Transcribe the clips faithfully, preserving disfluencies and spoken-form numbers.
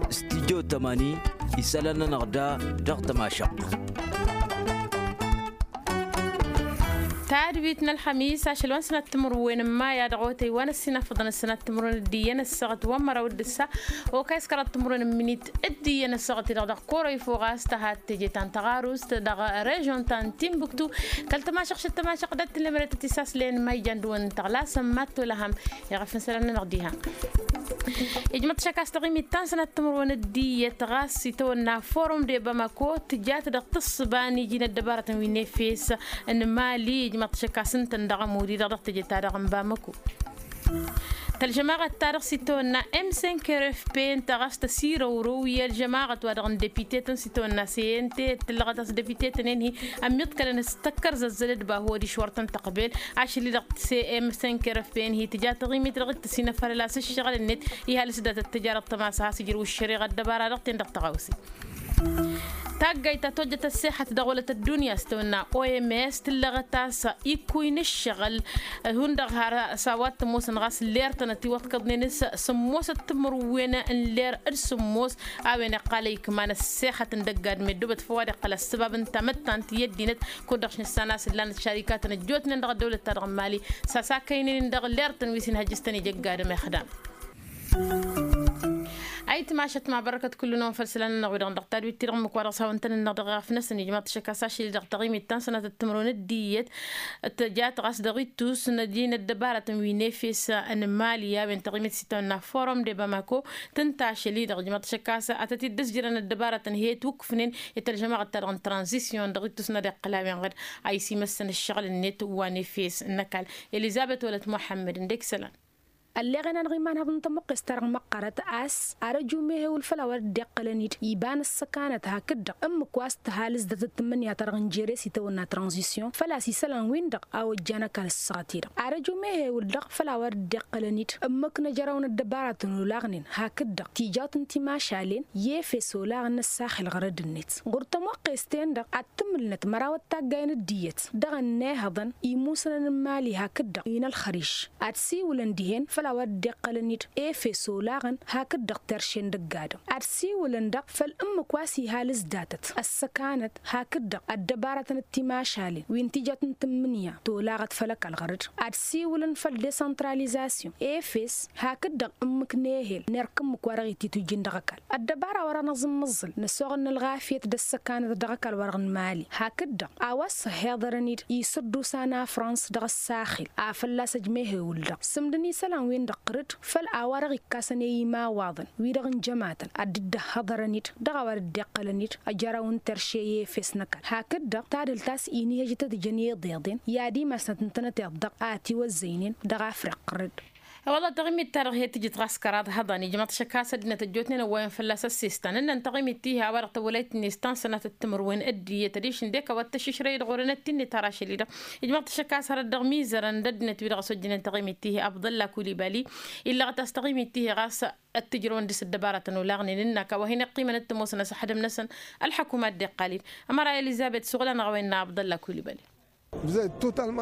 Stidyo tămani isălan-nănăɣ da dăɣ-tămašăɣt. Tadwit n-ălxămis ašăl wa n-sănat timǝrwen n-maya dăɣ-otăy wa n-ăssinafăḍăn ăssinat timǝrwen d-iyyăn ăssaɣăt wa n-măraw d-ǝssa okăy s-kăraḍ timǝrwen n-minit d-iyyăn ăssaɣăt-i-dăɣ dăɣ-koroy fo ɣas tăhat teje ta n-tăɣarust dăɣ-režon ta n-timbuktu. Kăl-tămašăɣt šăt tămašăɣt d-ad-tǝllemăret tisaslen ma ijan dăɣ-wăn n-tăɣlasăn mad-tolăhăm. Iɣăf n-isălan-nănăɣ diha. Ijmăḍ-t šăkk a-s taɣimit ta n-sănat timǝrwen d-iyyăt ɣas itawănna forum de bamako tǝjat dăɣ-tǝssǝba n-iji n-ăddăbarătăn wi n-efes n-mali ijmăḍ-t šăkk a-s ǝntăn dăɣ-ămud-i-dăɣ dăɣ-teje-ta-dăɣ n-bamako. Tălžămaɣăt-ta-dăɣ s-itawănna m cinq r f p ǝnta ɣas tăsirăwrăw i-ălžămaɣăt wa dăɣ-n depitetăn s-itawănna cnt tǝllăɣăt a-s depitetăn-en-hi ămmiḍkălăn s-tăkkărzăzzălăd bahu adiš wăr tăn-tăqbel. Ašăl-i-dăɣ m cinq r f p-en-hi tǝja taɣimit dăɣ-dd-tăsinăfăl ălas ǝššăɣǝl-net. Ihalǝs datăt tǝjarăt tămasa has-ǝjrǝw ǝššăreɣa ăddăbara dăɣ-ten dăɣ-tăɣawse. Taggayt ta tojjăt ăssexăt dăɣ-wălăt ăddunya s-tawănna oms tǝllăɣăt a-s ikkuy n-ǝššăɣǝl. Hundăɣ har s-a-wa t-ămoosăn ɣas ler-tăn ătiwăḍkăḍnen s-sǝmmosăt timǝrwen n-ler d-sǝmmos. A-wen iqqal ăykman ăssexăt n-dăgg-adǝm ăddoobăt făw ad-iqqăl ăssăbab n-tamăttant i-ăddinăt. Kud-dăɣ šnǝssan a-s ǝllanăt šarikatăn ăjjootnen dăɣ-ăddăwlăt-ta-dăɣ n-mali s-asakăynen-in dăɣ-ler-tăn wi s-inhăjjăs tăn-ija ăgg-adǝm ixdam. Ayǝtmašăt ma bărăkăt kullu-năwăn făll-isălan-nănăɣ wi-dăɣ dăɣ-tadwit-ti-dăɣ ǝmmǝk wa dăɣ-s hawăn-tăn-innăɣ dăɣ-eɣăf-năsăn ijmaḍ-t šăkk a-s ašăl-i-dăɣ taɣimit ta n-sănatăt timǝrwen d-iyyăt. Tăjat ɣas dăɣ-ittus n-ăddăbarătăn wi n-efes n-mali a-wen taɣimit s-itawănna forum de bamako. Tǝnta ašăl-i-dăɣ ijmaḍ-t šăkk a-s ad-tăt-dd-ǝzjărăn ăddăbarătăn he-dd-wǝkkǝfnen i-tălžămaɣăt-ta-dăɣ n-tranzisyon dăɣ-ittus n-ad-iqqăl a-wen ɣǝd a isi-măssăn ǝššăɣǝl-net wa n-efes n-ăkall. Elizăbet wălăt muḥămmăd ǝndek isălan. Ălleɣen-anăɣ iman-haḍăn tămuqqes-ta-dăɣ măqqărăt a-s arăju mehewǝl făll-a-wa dd-iqqălăn-dd iba n-ăssăkanăt hakd-dăɣ ǝmmǝk wa s-tǝhalǝs datăt tǝmmǝnǝya-ta-dăɣ n-jere s-itawănna tranzisyon făl-a-s isălan-win-dăɣ a ojjan ăkall ǝssăɣăt-i-dăɣ arăju mehewǝl-dăɣ făll-a-wa dd-iqqălăn-dd ǝmmǝk n-ejăraw n-ăddăbaratăn olaɣnen hakd-dăɣ tijawt n-timašalen i-efes olaɣăn n-ăssaxel ɣărăd-net ɣur-tămoqqes-ten-dăɣ ad-tǝmǝlnăt mărawăt taggayen d-iyyăt dăɣ-ănnihăḍăn imusnăn n-mali hakd-dăɣ i-inălxăriš ad-siwǝlăn dihen făll-a-wa dd-iqqălăn-dd efes olaɣăn hakd-dăɣ terše n-dăgg-adǝm ad-siwǝlăn-dăɣ făll-ǝmmǝk wa s-ihalǝs datăt ăssăkanăt hakd-dăɣ ăddăbarătăn d-timašalen wi n-tijăt n-tǝmmǝnǝya tolaɣăt făll-ăkall ɣăr-dd ad-siwǝlăn făll-desăntralizasyon efes hakd-dăɣ ǝmmǝk n-ehel n-erk ǝmmǝk wa dăɣ-ititujjin dăɣ-ăkall ăddăbara wa dăɣ-năẓǝmmăẓẓǝl năsoɣăn n-ălɣafyăt d-ăssăkanăt dăɣ-ăkall wa dăɣ-nǝmali hakd-dăɣ a-wa s-ăhhiḍărăn-dd isǝddusa n-afrans dăɣ-ăssaxil a fălla-s ăjmehewǝl-dăɣ sǝmdăn isălan-win-dăɣ ɣǝr-dd făll-a-wa dăɣ-ikkasăn i-imawaḍăn wi-dăɣ n-jămatăn ad-dd-ăhhăḍărăn-dd dăɣ-a-wa dd-iqqălăn-dd ăjăraw n-terše i-efes n-ăkall hakd-dăɣ tadhǝlt a-s inihăj tăt-jăn iḍeḍen i-ad-imasnăt ǝntănăteḍ-dăɣ a ătiwăzzăynen dăɣ-afriq ɣǝr-dd. Wălla taɣimit-ta-dăɣ he-tǝjǝt ɣas kăraḍ hăḍan ijmăḍ-t šăkk a-s ăddinăt ăjjootnen ăwwayăn fălla-s ăssestan ǝnnăn taɣimit-ti-hi a-wa-dăɣ tăwwălayt-net ta n-sănatăt timǝrwen d-iyyăt adiš ǝndek a-wa t-tăššǝšrăy-dd ɣur-enăt-ti-net har ašăl-i-dăɣ ijmăḍ-t šăkk a-s hărăt dăɣ-mizărăn d-ăddinăt-wi-dăɣ ăsojjănen taɣimit-ti-hi abḍălla kulibali. Illăɣăt a-s taɣimit-ti-hi ɣas ăttǝjrăwăn dăɣ-s ăddăbarătăn olaɣnen ǝnnak a-wa hin-iqqimăn d-tămoosăn ăsxădăm-năsăn ălxăkuma a dd-iqqal-dd. Ămăra elizăbet suɣǝl-anăɣ a-wa innă abḍălla kulibali.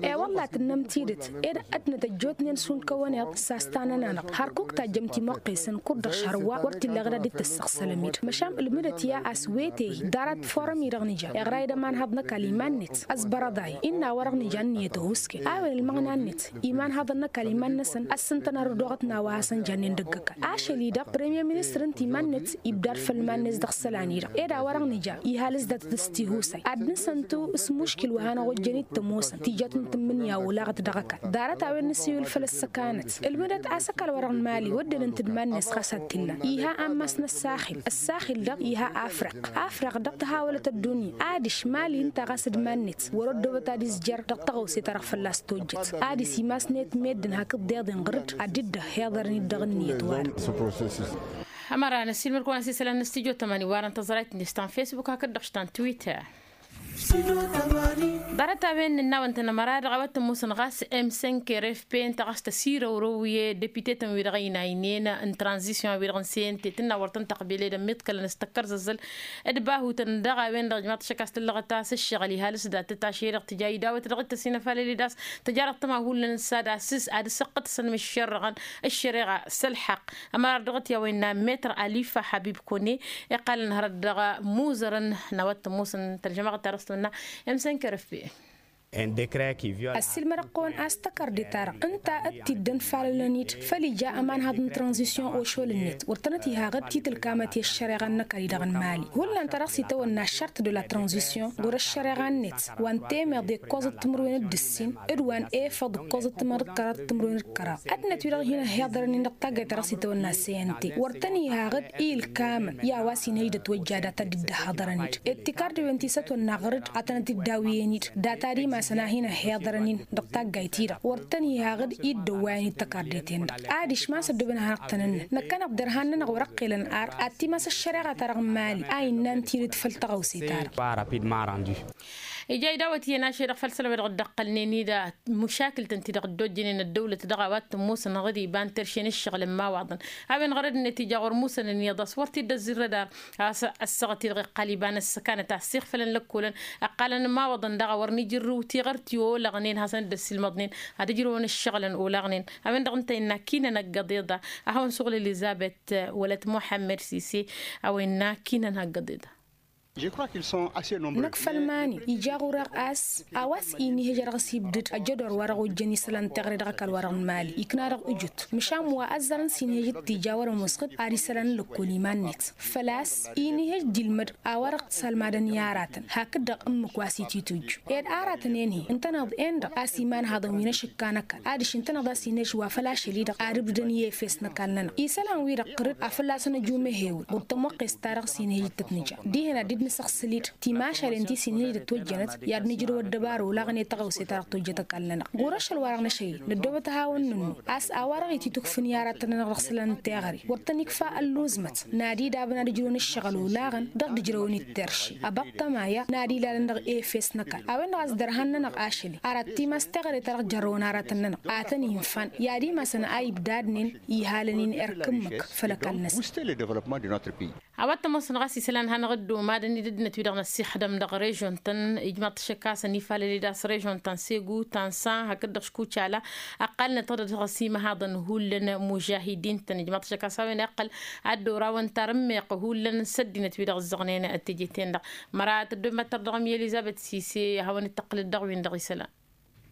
E-wălla tǝnnăm tidǝt ed ăddinăt ăjjootnen šund kăwăn-iḍ s-astanăn-anăɣ hărkuk tajjăm timuqqesăn kud-dăɣ šăr wa wăr t-illa ɣǝd ad-dd-tăssăɣsălăm-dd măšan ǝlmǝdăt i-a-s wete-hi ḍarăt forăm-i-dăɣ nǝja iɣray d-ămanhăḍ n-ăkall iman-net ăzbărăḍay innă a-wa-dăɣ nǝja ǝnniyăt ăhuusken a-wen ǝlmăɣna-net imanhăḍăn n-ăkall iman-năsăn ăssintăn arrădoɣăt n-a-wa hasăn jannen dăgg-ăkall ašăl-i-dăɣ premier ministăr ǝnta iman-net ibdad făll-iman-net dăɣ-isălan-i-dăɣ ed a-wa-dăɣ nǝja ihal s-datăt s-tihusay ad-nǝsăntu s-muškil wa hanăɣ-ojjăn-dd tămoosăn tijăt n-tǝmmǝnǝya olaɣăt dăɣ-ăkall ḍarăt a-wen nǝsiwǝl făll-ăssăkanăt ǝlmǝdăt a-s ăkall wa-dăɣ n-mali wădden ǝnta d-iman-net ɣas ad-t-illa iha ammas n-ăssaxil ăssaxil-dăɣ iha afriq afriq-dăɣ tăhawălăt ăddunya adiš mali ǝnta ɣas d-iman-net wăr-ăddoobăt ad-izjăr dăɣ-tăɣawse-ta-dăɣ fălla-s tojjăt adiš imasnet meddǝn hakd deḍen ɣǝr-dd ad-dd-ăhhiḍărăn dd-dăɣ-ǝnniyăt wa-dăɣ. Ămăra năssiilmăd-kăwăn a-s isălan n-studyo tămani warăn tăẓrayt-net ta n-facebook hakd-dăɣ ta n-twitter. Ḍarăt-a-wen n-ănnawăn-tăn ămăra-dăɣ a-wa t-ămoosăn ɣas m cinq r f p ǝnta ɣas tăsirăwrăw i-deputetăn-wi-dăɣ ăynaynen n-tranzisyon-wi-dăɣ n-cnt tǝnna wăr tăn-tăqbel edăn miḍkălăn s-tăkkărzăzzăl d-bahutăn daɣ a-wen-dăɣ ijmaḍ-t ašăk a-s tǝllăɣăt a-s ǝššăɣǝl ihalǝs dat-t ašăl-i-dăɣ tǝja idawăt dăɣ-t ăsinăfalăl-i d-a-s tǝja dăɣ-tăma hullan s-ad-asǝs ad-ǝssăqqǝtăsăn mǝššărrăɣăn ăššăreɣa s-ălḥăqq. Ămăra-dăɣ-t i-a-wa innă metrăr alifa habib kone iqqalăn hărăt dăɣ-imuzărăn n-a-wa t-ămoosăn tălžămaɣăt ta dăɣ-s tǝmǝnna. M cinq r f p. Ăssiilmădăɣ-kăwăn a-s tăkărde-ta-dăɣ ǝnta d-t-dd-ănfalălăn-dd făll-ija ămanhăḍ n-tranzisyon ošol-net wăr tănăt-iha ɣǝd titǝlkamăt i-ăššăreɣa n-năkări-dăɣ n-mali hullan ta dăɣ-s itawănna ăššărt de la tranzisyon ɣur-ăššăreɣa-net wa n-temeḍe ǝkkoẓăt timǝrwen d-ǝssin d-wa n-efăḍ ǝkkoẓăt timăr d-kăraḍ timǝrwen d-kăraḍ ăddinăt-wi-dăɣ hin-ăhhiḍărăn-in dăɣ-taggayt ta dăɣ-s itawănna cnt wăr tăn-iha ɣǝd i-ǝlkamăn i-a-wa s-inhăj d-ătwăjja data dd-ăhhăḍărăn-dd. Dd-tikar d-wen ti s-ătwănna ɣăr-dd ad-tănăt-dd-awǝyăn-dd data ad-imasăn a hin-ăhhiḍărăn-in dăɣ-taggayt-i-dăɣ wăr tăn-iha ɣǝd i-dd-ăwwayăn-dd tăkarde-ten-dăɣ. Adiš ma s-ăddooben ad-hanăɣ-tăn-ǝnnăn năkkăneḍ derhan-nănăɣ wăr ăqqelăn ar ad-t-imas ăššăreɣa-ta-dăɣ n-mali a innă n-tidǝt făll-tăɣawse-ta-dăɣ. Ija idawăt iyyăn ašăl-i-dăɣ făll-isălan-wi-dăɣ dd-ăqqălnen-i d-măšakǝl-tăn-ti-dăɣ dd-ojjănen ăddăwlăt dăɣ-a-wa t-ămoosăn ɣǝd iba n-terše n-ǝššăɣǝl n-imawaḍăn. A-wen ɣărăd-net ija ɣur-musăn ǝnniyăḍ a-s wăr t-dd-ăzzirrăd ar a-s ăssaɣăt-i-dăɣ iqqal iba n-ăssăkanăt a ăssiixfălăn lăkkolăn. Ăqqalăn imawaḍăn daɣ a wăr n-ijǝrrǝw tiɣăr ti olăɣnen hasăn-dd-ăssiilmăḍnen ad-ǝjrăwăn ǝššăɣǝlăn olăɣnen. A-wen-dăɣ ǝnta innă kinăn ăggăḍeḍ a hawăn-suɣǝl elizăbet wăla t-muḥămmăd sise. A-wa innă kinăn ăggăḍeḍ. Năkk făll-mani ija ɣur-eɣ a-s a-wa s-inihăj ad-dăɣ-s ibdǝd ăjjădor wa dăɣ-ojjăn isălan teɣăre dăɣ-ăkall-wa-dăɣ n-mali ikna dăɣ-ujut măšan wa ăzzarăn s-inihăj d-tija wăr-ămoos ɣǝd ad-isălan lăkkol iman-net. Făl-a-s inihăj d-ilmăd a-wa dăɣ-t salmadăn i-aratăn hakd-dăɣ ǝmmǝk wa s-ititujju ed aratăn-en-hi ǝntăneḍ-en-dăɣ a-s imanhaḍăn wi n-ašǝkka n-ăkall adiš ǝntăneḍ a-s inihăj wa făll-ašăl-i-dăɣ ad-ǝbdǝdăn i-efes n-ăkall-nănăɣ isălan-wi-dăɣ ɣǝr-dd a fălla-săn ăju mehewǝl ɣur-tămoqqes-ta-dăɣ s-inhǝj d-tăt-nǝja dihen ad-dd-nǝsăɣsǝl-dd timašalen ti s-inhǝj d-ătwăjjănăt i-ad-nǝjrǝw ăddăbară olaɣăn i-tăɣawse-ta-dăɣ tojjăt ăkall-nănăɣ. Ɣur-ašăl-wa-dăɣ n-ašăl-i năddoobăt ad-hawăn-nǝnnu a-s a-wa-dăɣ ititukfǝn i-aratăn-nănăɣ dăɣ-isălan n-teɣăre wăr tăn-ikfa ălluẓmăt n-ad-idabăn ad-ǝjrǝwăn ǝššăɣǝl olaɣăn dăɣ-dd-ǝjrăwăn-dd terše ăbaṭṭăma i-a n-ad-ilalăn dăɣ-efes n-ăkall a-wen-dăɣ a-s dărhan-nănăɣ ašăl-i ar ad-t-imas teɣăre ta dăɣ-jarrăwăn aratăn-nănăɣ ad-tăn-infan i-ad-imasăn a ibdadnen ihalăn-in erk ǝmmǝk făll-ăkall-năsăn. A-wa t-ămoosăn ɣas isălan hanăɣ-dd-umadăn-dd ăddinăt-wi-dăɣ n-ăssixdăm dăɣ-režion-tăn ijmaḍ-t ašăk a-s ănifalăl-dd a-s režion ta n-segu ta n-san hakd-dăɣ škucala ăqqalnăt-dăɣ dăɣ-s imăhaḍăn hullan mužahidin-tăn ijmaḍ-t ašăk a-s a-wen iqqăl ad-dd-orawăn tarǝmmeɣt hullan s-ăddinăt-wi-dăɣ ǝzzăɣnen teje-ten-dăɣ. Măra tăddommăt-tăr dăɣ-mi elizăbet sise a hawăn-dd-tăqqǝlăd dăɣ-win-dăɣ isălan.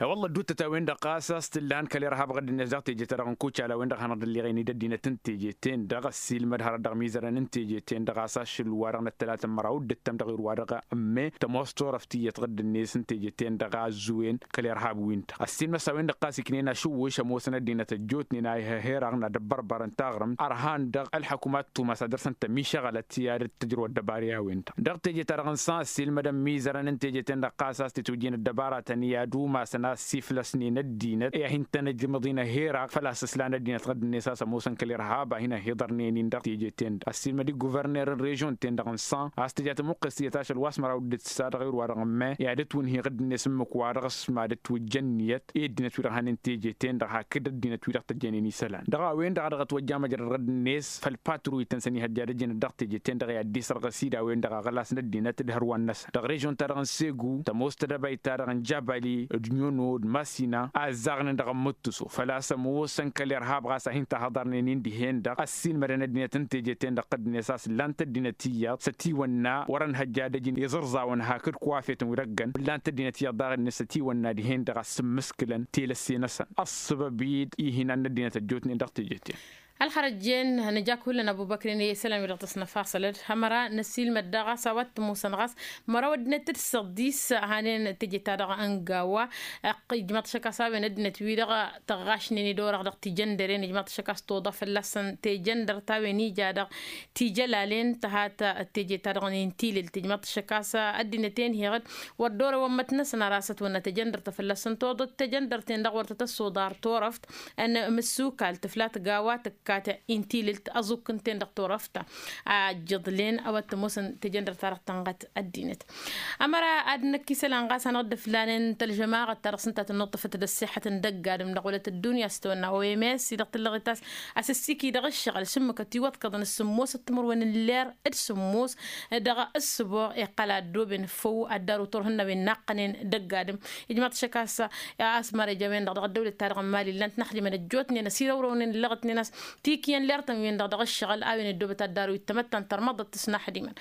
E-wălla ădduuttăt a-wen-dăɣ ɣas a-s t-illa han kăl-irhab ɣǝdd-net dăɣ-teje-ta-dăɣ n-kucala a-wen-dăɣ hanăɣ-dd-ălliɣen-dd ăddinăt n-teje-ten-dăɣ ăssiilmăd hărăt dăɣ-imizărăn n-teje-ten-dăɣ ɣas ašăl wa-dăɣ n-ăttălatăn măraw d-ǝttăm dăɣ-irwa-dăɣ. Ǝmme tămoos turăft iyyăt ɣǝdd-net n-teje-ten-dăɣ a ăzzuwen kăl-irhab-win-dăɣ ăssiilmăd s-a-wen-dăɣ ɣas iknen ašǝwwǝš ămoosăn ăddinăt ăjjootnen a ih' ăherăɣ n-ad-ăbbărbărăn taɣrǝmt ărhan dăɣ-ălḥăkumat tumas ad-dăr-săn tămišăɣălăt i-ad-dd-tǝjrǝw ăddăbar i-a-wen-dăɣ dăɣ-teje-ta-dăɣ n-san ăssiilmădăn imizărăn n-teje-ten-dăɣ ɣas a-s tǝtwǝjjen ăddăbaratăn i-ad-umasăn a ăssiflăsnen ăddinăt i-ad-hin-tăn-ǝjmǝḍ-in ăherăɣ făl-a-s ǝslan ăddinăt ɣǝdd-net a-s ămoosăn kăl-irhab a hin-ăhiḍărnen-in dăɣ-teje-ten-dăɣ ăssiilmăd-i guverner n-režion-ten-dăɣ n-san a-s tǝja tămuqqes tiyyăt ašăl wa s-măraw dd-tǝssa dăɣ-irwa-dăɣ ǝmme i-ad-ătwǝnhi ɣǝdd-net ǝmmǝk-wa-dăɣ s-mad-ătwǝjja ǝnniyăt i-ăddinăt wi-dăɣ hanen teje-ten-dăɣ hakd ăddinăt wi-dăɣ tăjjănen isălan dăɣ-a-wen-dăɣ a dăɣ-ătwăjja măjrăd ɣǝdd-net făll-patruy-tăn s-ănihăjja ad-ăjjănăt dăɣ-teje-ten-dăɣ i-ad-dd-isărɣǝs-dd a-wen-dăɣ aɣlas n-ăddinăt d-hărwan-năsăn dăɣ-režion-ta-dăɣ n-segu tămoos tedăbayt-ta-dăɣ n-jabali d-nyono d-masina a ǝzzaɣnen dăɣ-ămmǝttǝso făl-a-s ămoosăn kăl-irhab ɣas a hin-tahăḍărnen-in dihen-dăɣ ăssiilmădăn ăddinăt n-teje-ten-dăɣ ɣǝdd-net a-s ǝllan-t ăddinăt iyyăḍ s-ătiwănna wăr-ănhăjja ad-ăjǝn iẓǝrẓawăn hakd kuwafetăn wi dăgg-ănn ǝllan-t ăddinăt iyyăḍ daɣ-net s-ătiwănna dihen-dăɣ a ǝssǝmmǝskǝlăn telăsse-năsăn ăṣṣăbăb-dd ihinan n-ăddinăt ăjjootnen dăɣ-teje-ten. Ălxărăjjen nǝja-k hullan ăbubăkrin i-isălan wi-dăɣ tăsnăfasălăd hămăra năsiilmăd daɣ a-s a-wa t-ămoosăn ɣas măraw ăddinăt d-săḍis hanen teje-ta-dăɣ n-gawa. Ăqqǝy ǝjmaḍ-t ašăk a-s a-wen ăddinăt-wi-dăɣ tăɣɣašnen-dd orăɣ dăɣ-tijăndăren ǝjmaḍ-t ašăk a-s toḍa fălla-săn tejăndărt a-wen ija dăɣ-tijălalen tăhat teje-ta-dăɣ n-intilǝl tǝjmaḍ-t ašăk a-s ăddinăt-en heɣ-dd wăr dd-orăwăn mătnăsăn ar asăt wănna tejăndărt fălla-săn toḍăt tejăndărt-en-dăɣ wăr tăt-ăssoḍar turăft n-mǝssukal tǝflat gawa tǝkk ăkkat-i n-tilǝlt ăẓukǝnten dăɣ-turăft a ǝjjǝḍlen a-wa t-ămoosăn tejăndăr-ta-dăɣ tănɣăt ăddinăt. Ămăra ad-năkk isălan ɣas hanăɣ-dd-ăflanen tălžămaɣăt-ta-dăɣ s-ǝnta a tăn-nuṭṭǝfăt d-ăṣṣiḥăt n-dăgg-adǝm dăɣ-wălăt ăddunya s-tawănna oms-i-dăɣ tǝllăɣet a-s a-s ăssiiki dăɣ-ǝššăɣǝl šǝmmǝkăt iwăḍkăḍăn s-sǝmmosăt timǝrwen n-ler d-sǝmmos dăɣ-ǝssǝboɣ iqqăl a ăddooben făw ad-daru turhǝnna wen naqqănen dăgg-adǝm. Ijmaḍ-t šăkk a-s a-s măreja-wen-dăɣ dăɣ-ăddăwlăt-ta-dăɣ n-imali llan tǝnăxdimăn ăjjootnen ăsirăwrăwnen ǝllăɣătnen a-s tikǝyăn lertăn-wen-dăɣ dăɣ-ǝššăɣǝl a-wen ăddoobăt ad-daru ittămăttan tărmăḍăt tǝsnaxdimăn.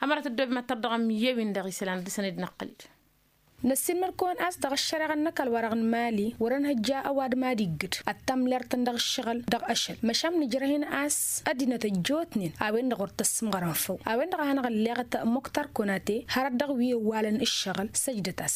Ămăra tăddoobem ad-tărdăɣăm i-ewin dăɣ-isălan ad-dăr-săn dd-năqqălăd. Năssiilmăr-kăwăn a-s dăɣ-ăššăreɣa n-ăkall wa-dăɣ n-imali wăr-ănhăjja ăwadǝm ad-iggǝd ăttam lertăn dăɣ-ǝššăɣǝl dăɣ-ašăl măšan nǝjrăh-in a-s ăddinăt ăjjootnen a-wen-dăɣ wăr tăssǝmɣărăn făw a-wen-dăɣ a hanăɣ-ălleɣăt muktar konate hărăt dăɣ-wi ăwwalăn ǝššăɣǝl săjdăt-as.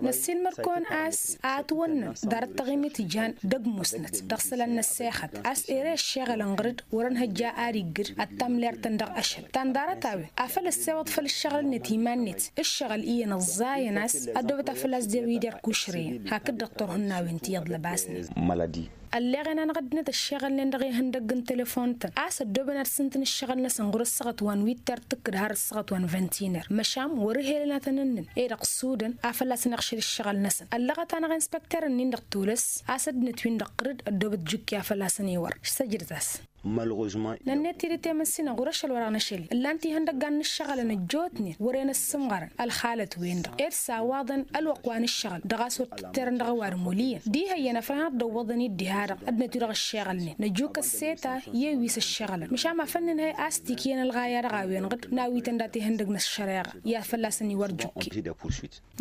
Năssiilmăr-kăwăn a-s a ătwănnăn ḍarăt taɣimit ijan d-ăgg-musnăt dăɣ-isălan n-ăssexăt a-s ere ăššeɣălăn ɣăr-dd wăr-ănhăjja ad-iggǝd ăttam lertăn dăɣ-ašăl ta n-ḍarăt-a-wen a făl ăssewăḍ făll-ǝššăɣǝl-net iman-net ǝššăɣǝl iyyăn ăẓẓayăn a-s ăddoobăt a făl-a-s d-ewidăr kušreyăn hakd-dăɣ turhǝnnawen ti iḍlăbasnen. Ălleɣen-anăɣ ăddinăt ăššeɣălnen dăɣ-ihăndăgg n-telefon-tăn a-s ăddoobăn ad-sǝntǝn ǝššăɣǝl-năsăn ɣur-ăssaɣăt wa n-witter tǝkkǝd har ăssaɣăt wa n-ventiner măšan wăr-ǝhelăn ad-tăn-ǝnnǝn e-dăɣ sudăn a fălla-săn iɣšǝd ǝššăɣǝl-năsăn ăllăɣăt-anăɣ inspăkter-nin dăɣ-tulǝs a-s ăddinăt-win-dăɣ ɣǝr-dd ăddoobăt jukki a fălla-săn iwăr. Săjdăt-as. Nănnet tidǝt i-măssinăɣ ɣur-ašăl wa dăɣ-năšăl-i ǝllan-t ihăndăggan n-ǝššăɣǝlăn ăjjootnen wăren ăssǝmɣărăn ălxalăt-wen-dăɣ ed s-awaḍăn ălwăqq wa n-ǝššăɣǝl dăɣ-a-s wăr tǝtterăn dăɣ-ăwadǝm wăl' iyyăn d-ihăyyăn a făl hanăɣ-dd-ăwwăḍăn-dd diha-dăɣ ăddinăt-wi-dăɣ ǝššeɣălnen năjuk ăsseta i-ewis ǝššăɣǝlăn măšan ma făl nǝnhăy a-s tikǝyăn ălɣaya dăɣ-a-wen-dăɣ n-awităn dat-ihăndăgg n-ăššăreɣa i-ad-fălla-săn iwăr jukki.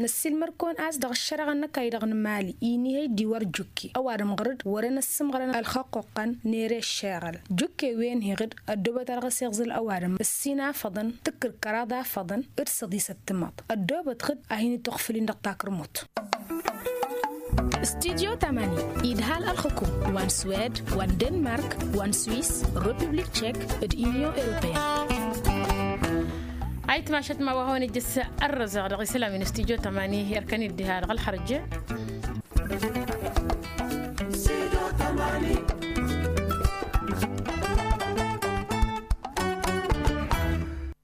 Năssiilmăr-kăwăn a-s dăɣ-ăššăreɣa n-ăkall-i-dăɣ n-imali inihăy d-iwăr jukki ăwadǝm ɣăr-dd wăren ăssǝmɣărăn ălxăqquqqăn n-ere ăššeɣăl jukki wen-hi ɣǝd ăddoobăt a dăɣ-s iɣzǝl ăwadǝm ǝssin afăḍăn tǝkkǝr kăraḍ afăḍăn d-săḍisăt timaḍ ăddoobăt ɣǝd a hin-ituɣfǝl-in dăɣ-takrǝmut. Studyo tamani idhal ălxǝkum wa n-swed wa n-denmark wa n-swis republik tchek d-unyon europeyăn. Ayǝtmašăt ma wa hawăn-ijjǝs ărrăzăɣ dăɣ-isălan wi n-studyo tamani erkăn-dd diha dăɣ-ălxărje.